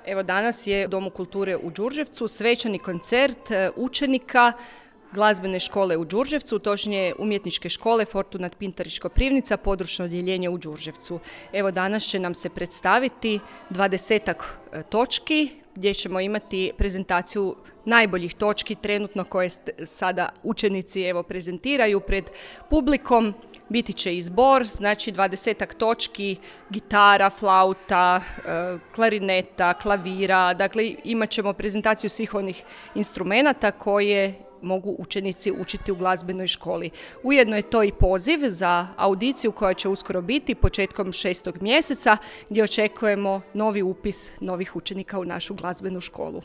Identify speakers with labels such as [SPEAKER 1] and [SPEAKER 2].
[SPEAKER 1] Evo danas je u Domu kulture u Đurđevcu svečani koncert učenika glazbene škole u Đurđevcu, točnije umjetničke škole Fortunat Pintarić Koprivnica, područno odjeljenje u Đurđevcu. Evo danas će nam se predstaviti 20-ak točki gdje ćemo imati prezentaciju najboljih točki trenutno koje sada učenici prezentiraju pred publikom. Biti će i zbor, znači 20-ak točki, gitara, flauta, klarineta, klavira, dakle imat ćemo prezentaciju svih onih instrumenata koje mogu učenici učiti u glazbenoj školi. Ujedno je to i poziv za audiciju koja će uskoro biti početkom 6. mjeseca gdje očekujemo novi upis novih učenika u našu glazbenu školu.